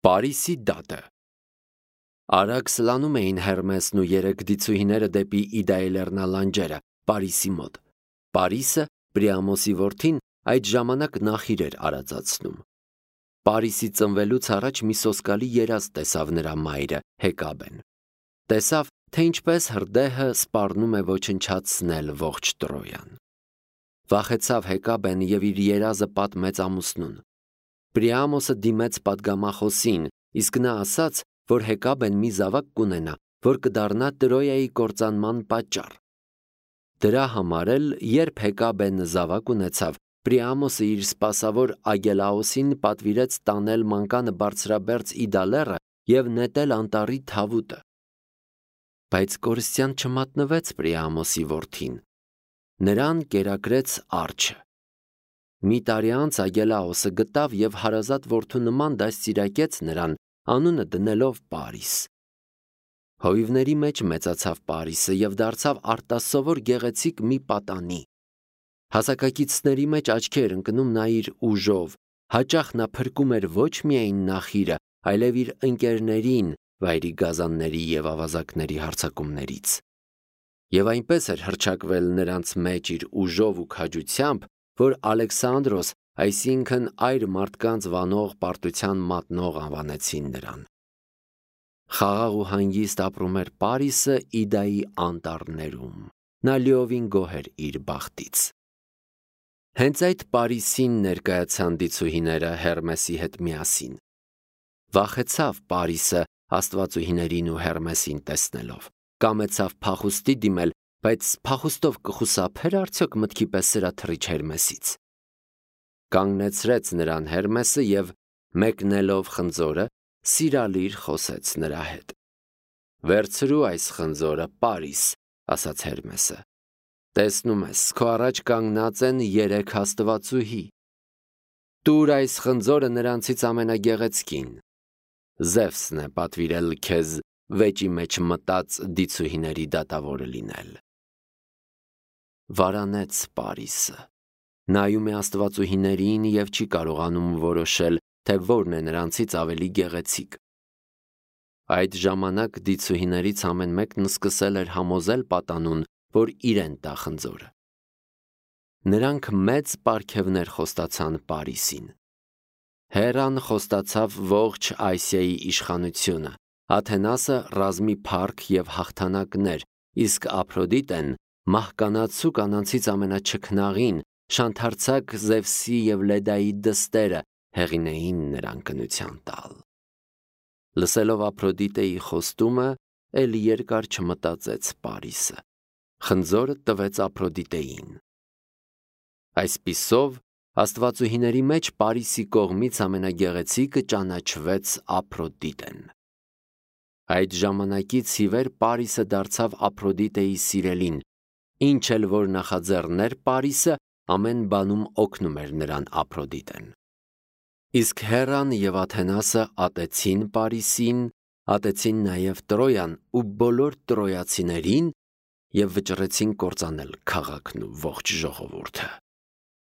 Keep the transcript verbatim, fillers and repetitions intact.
Պարիսի դատը։ Արագ սլանում էին Հերմեսն ու երեք դիցուհիները դեպի Իդայի լեռնալանջերը, Պարիսի մոտ։ Պարիսը, Պրիամոսի որդին, այդ ժամանակ նախիր էր արածացնում։ Պարիսի ծնվելուց առաջ մի սոսկալի երազ տեսավ նրա մայրը, Հեկաբեն։ Տեսավ, թե ինչպես հրդեհը սպառնում է ոչնչացնել ողջ Տրոյան։ Վախեցավ Հեկաբեն և իր երազը պատմեց ամուսնուն։ Պրիամոսը դիմեց պատգամախոսին, իսկ նա ասաց, որ Հեկաբեն մի զավակ կունենա, որ կդառնա Տրոյայի կործանման պատճառ։ Դրա համար էլ, երբ Հեկաբեն զավակ ունեցավ, Պրիամոսը իր սպասավոր Ագելաոսին պատվիրեց տանել մանկանը բարձրաբերձ Իդա լեռը և նետել անտառի թավուտը։ Բայց կորստյան չմատնվեց Պրիամոսի որդին։ Նրան կերակրեց արջը։ Մի տարի անց Ագելաոսը գտավ և հարազատ որդու նման դաստիարակեց նրան, անունը դնելով Պարիս։ Հովիվների մեջ մեծացավ Պարիսը և դարձավ արտասովոր գեղեցիկ մի պատանի։ Հասակակիցների մեջ աչքի էր ընկնում նա իր ուժով, հաճախ նա փրկում էր ոչ միայն նախիրը, այլև իր ընկերներին վայրի գազանների և ավազակների հարձակումներից։ Եվ այնպես էր հռչակվել նրանց մեջ իր ուժով ու քաջությամբ, որ Ալեքսանդրոս, այսինքն այր մարդկանց վանող պարտության մատնող անվանեցին նրան։ Խաղաղ ու հանգիստ ապրում էր Պարիսը Իդայի անտառներում։ Նա լիովին գոհ էր իր բախտից։ Հենց այդ Պարիսին ներկայացան դիցուհիները Հերմեսի հետ միասին։ Վախեցավ Պարիսը աստվածուհիներին ու Հերմեսին տեսնելով։ Կամեցավ փախուստի դիմել, բայց փախուստով կխուսափե՞ր արդյոք մտքի պես սրաթռիչ Հերմեսից։ Կանգնեցրեց նրան Հերմեսը և, մեկնելով խնձորը, սիրալիր խոսեց նրա հետ։ «Վերցրու այս խնձորը, Պարիս», ասաց Հերմեսը։ «Տեսնում ես, քո առաջ կանգնած են երեք աստվածուհի։ Տուր այս խնձորը նրանցից ամենագեղեցկին։ Զևսն է պատվիրել քեզ վեճի մեջ մտած դիցուհիների դատավորը լինել»։ Վարանեց Պարիսը։ Նայում է աստվածուհիներին և չի կարողանում որոշել, թե որն է նրանցից ավելի գեղեցիկ։ Այդ ժամանակ դիցուհիներից ամեն մեկն սկսել էր համոզել պատանուն, որ իրեն տա խնձորը։ Նրանք մեծ պարգևներ խոստացան Պարիսին։ Հերան խոստացավ ողջ Ասիայի իշխանությունը, Աթենասը ռազմի փառք և հաղթանակներ, իսկ Ափրոդիտեն մահկանացու կանանցից ամենաչքնաղին, շանթարցակ Զևսի և Լեդայի դստերը հեղինեին նրան կնության տալ։ Լսելով Ափրոդիտեի խոստումը, էլ երկար չմտածեց Պարիսը։ Խնձորը տվեց Ափրոդիտեին։ Այսպիսով, աստվածուհիների մեջ Պարիսի կողմից ամենագեղեցիկը ճանաչվեց Ափրոդիտեն։ Այդ ժամանակից ի վեր Պարիսը դարձավ Ափրոդիտեի սիրելին, ինչ էլ որ նախաձեռներ Պարիսը, ամեն բանում օգնում էր նրան Ափրոդիտեն։ Իսկ Հերան և Աթենասը ատեցին Պարիսին, ատեցին նաև Տրոյան ու բոլոր տրոյացիներին և վճռեցին կործանել քաղաքն ու ողջ ժողովուրդը։